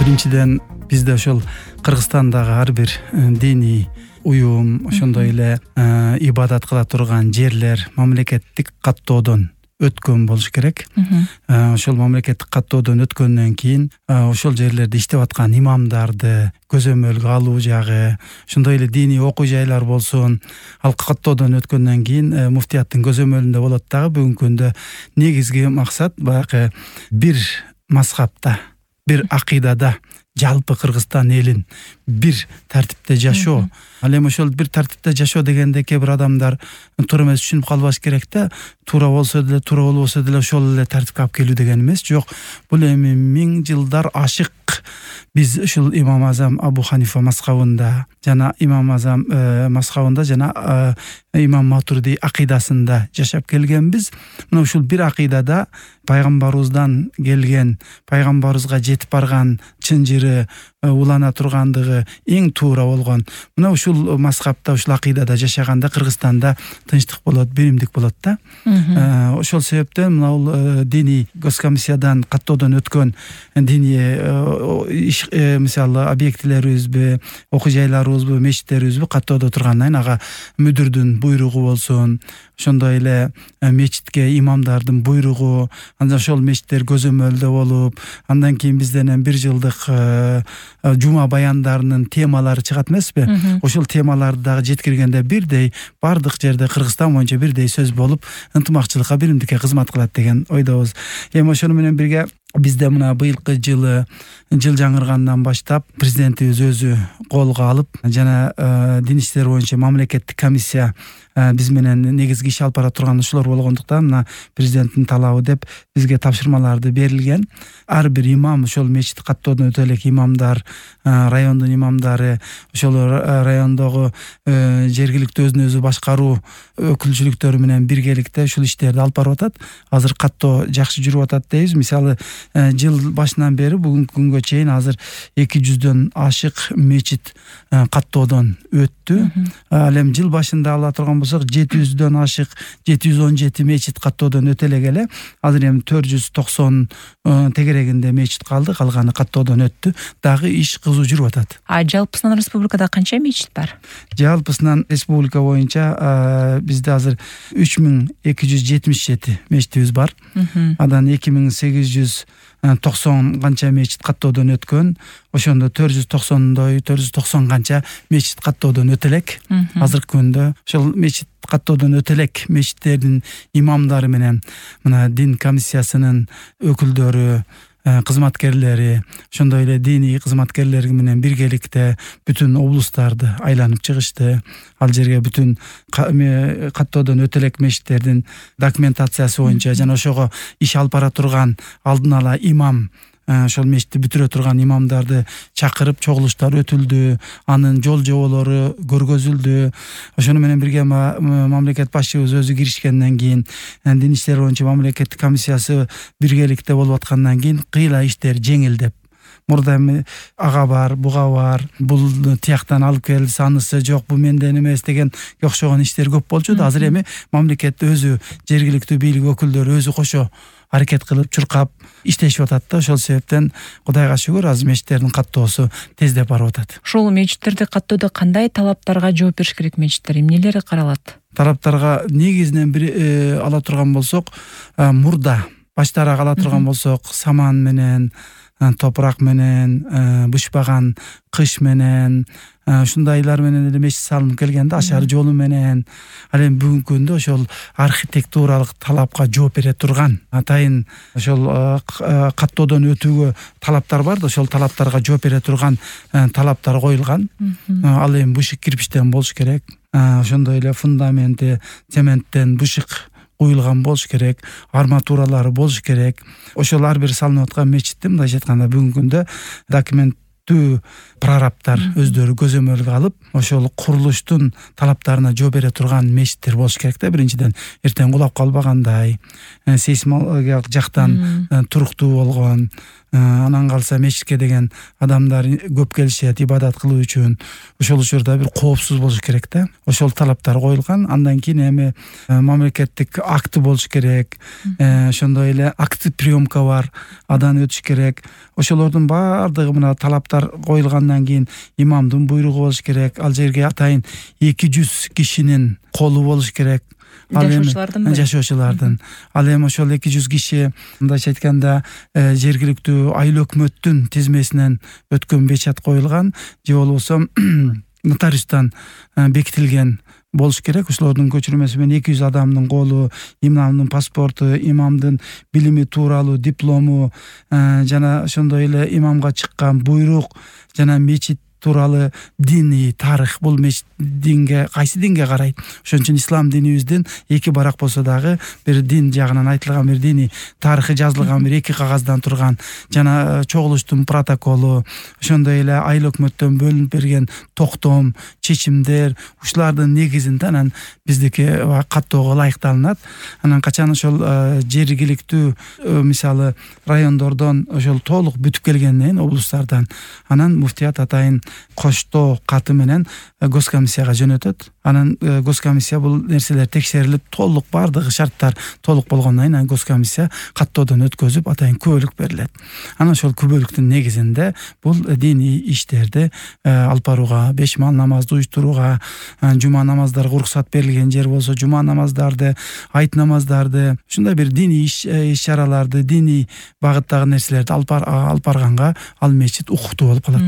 Биринчиден бизде ошол Кыргызстандагы ар бир диний уюм, ошондой эле ибадат кыла турган жерлер мамлекеттик каттоодон өткөн болуш керек. Ошол мамлекеттик каттоодон өткөндөн кийин ошол жерлерде иштеп аткан имамдарды көзөмөлгө алуу жагы, ошондой эле диний окуу жайлар болсун, ал каттоодон өткөндөн кийин муфтияттын көзөмөлүндө болот дагы. Бүгүнкү күндө негизги максат баягы бир мазхабта, бир акыйдада жалпы Кыргызстан элин бир тартипте жашоо. Ал эми ошол бир тартипте жашоо дегенде кээ бир адамдар туура эмес түшүнүп калбаш керек да. Туура болсо деле, туура болбосо деле ошол эле тартипке алып келүү деген эмес. Жок, бул эми миң жылдар ашык биз ушул имам Азам Абу Ханифа мазхабында жана имам Азам мазхабында жана имам Матурди акыйдасында жашап келгенбиз. Мына ушул бир акыйдада пайгамбарыбыздан келген, пайгамбарыбызга жетип барган чын жыры улана тургандыгы эң туура болгон. Мына ушул мазхабта, ушул акыйдада жашаганда Кыргызстанда тынчтык болот, биримдик болот да. Ошол себептен мына бул диний госкомиссиядан каттоодон өткөн диний мисалы объектилерибизби, окуу жайларыбызбы, мечиттерибизби каттоодо тургандан кийин ага мүдүрдүн буйругу болсун, ошондой эле мечитке имамдардын буйругу, андан ошол мечиттер көзөмөлдө болуп, андан кийин бизден бир жылдык жума баяндарынын темалары чыгат эмеспи? Ошол темаларды дагы жеткиргенде бирдей бардык жерде Кыргызстан боюнча бирдей сөз болуп, ынтымакчылыкка, биримдикке кызмат кылат деген ойдобуз. Эми ошону менен бирге бизде мына быйылкы жыл жаңыргандан баштап президентибиз өзү колго алып жана дин иштери боюнча мамлекеттик комиссия биз менен негизги иш алып бара турган ушулар болгондуктан мына президенттин талабы деп бизге тапшырмаларды берилген. Ар бир имам, ошол мечит каттоодон өтө элек имамдар, райондун имамдары, ошол райондогу жергиликтүү өзүн өзү башкаруу өкүлчүлүктөрү менен биргеликте ушул иштерди алып барып атат. Азыр каттоо жакшы жүрүп атат дейбиз. Мисалы жыл башынан бери бүгүнкү күнгө чейин азыр 200дөн ашык мечит каттоодон өттү. Ал эми жыл башында ала турган болсок 700дөн ашык 717 мечит каттоодон өтө эле. Азыр эми 490 тегерегинде мечит калды, калганы каттоодон өттү. Дагы иш кызуу жүрүп атат. Жалпысынан республикада канча мечит бар? Жалпысынан республика боюнча бизде азыр 3277 мечитибиз бар. Андан 2890 канча мечит каттоодон өткөн. Ошондо 490 канча мечит каттоодон өтө элек. Азыркы күндө ошол мечит каттоодон өтө элек мечиттердин имамдары менен мына дин комиссиясынын өкүлдөрү, кызматкерлери, ошондой эле диний кызматкерлери менен биргеликте бүтүн облустарды айланып чыгышты. Ал жерге бүтүн каттоодон өтө элек мечиттердин документациясы боюнча жана ошого иш алып бара турган алдын ала имам, ошол мечитти бүтүрө турган имамдарды чакырып чогулуштар өтүлдү, анын жол жоболору көргөзүлдү. Ошону менен бирге мамлекет башчыбыз өзү киришкенден кийин, дин иштери боюнча мамлекеттик комиссиясы биргеликте болуп аткандан кийин кыйла иштер жеңилдеп. Мурда эми ага бар, буга бар, бул тияктан алып келди, анысы жок, бу менден эмес деген окшогон иштер көп болчу да. Азыр эми мамлекет өзү, жергиликтүү бийлик өкүлдөрү өзү кошо аракет кылып, чуркап иштешип атат да. Ошол себептен Кудайга шүгүр азыр мечиттердин каттоосу тездеп барып атат. Ушул мечиттерди каттоодо кандай талаптарга жооп бериш керек мечиттер? Эмнелери каралат? Тараптарга негизинен бир ала турган болсок, мурда баштарак ала турган болсок, саман менен, топурак менен, бышпаган кыш менен, ушундайлар менен эле мечит салынып келгенде, ашар жолу менен. Ал эми бүгүнкү күндө ошол архитектуралык талапка жооп бере турган атайын ошол каттоодон өтүүгө талаптар бар да, ошол талаптарга жооп бере турган талаптар коюлган. Ал эми бышык кирпичтен болуш керек. Ошондой эле фундаменти цементтен бышык куюлган болуш керек, арматуралары болуш керек. Ошол ар бир салынып аткан мечитти мындайча айтканда бүгүнкү күндө документтүү прорабтар өздөрү көзөмөлгө алып, ошол курулуштун талаптарына жооп бере турган мечиттер болуш керек да. Биринчиден эртең кулап калбагандай, сейсмологиялык жактан туруктуу болгон, анан калса мечитке деген адамдар көп келишет ибадат кылуу үчүн. Ошол учурда бир коопсуз болуш керек да. Ошол талаптар коюлган. Андан кийин эми мамлекеттик акты болуш керек. Ошондой эле акт приемка бар, адан өтүш керек. Ошолордун баардыгы мына талаптар коюлгандан кийин имамдын буйругу болуш керек. Ал жерге атайын 200 кишинин колу болуш керек. Жашоочулардын. Ал эми ошол 200 киши мындайча айтканда жергиликтүү айыл өкмөттүн тизмесинен өткөн печат коюлган же болбосо нотариустан бекитилген болуш керек. Ошолордун көчүрмөсү менен 200 адамдын колу, имамдын паспорту, имамдын билими тууралуу диплому жана ошондой эле имамга чыккан буйрук жана мечит тууралуу диний тарых. Бул мечит динге кайсы динге карайт? Ошон үчүн ислам динибиздин 2 барак болсо дагы бир дин жагынан айтылган бир диний тарыхы жазылган бир 2 кагаздан турган жана чогулуштун протоколу, ошондой эле айыл өкмөттөн бөлүнүп берген токтом, чечимдер, ушулардын негизинде анан биздики каттоого ылайыкталынат. Анан качан ошол жергиликтүү мисалы райондордон ошол толук бүтүп келгенден кийин облустардан анан муфтият атайын коштоо каты менен госкомиссияга жөнөтөт. Анан госкомиссия бул нерселер текшерилип толук баардыгы шарттар толук болгондон кийин госкомиссия каттоодон өткөзүп атайын күбөлүк берилет. Анан ошол күбөлүктүн негизинде бул диний иштерди алып барууга, 5 маал намазды уюштурууга, жума намаздарга уруксат берилген жер болсо жума намаздарды, айт намаздарды, ушундай бир диний иш-чараларды, диний багыттагы нерселерди алып барганга ал мечит укуктуу болуп калат.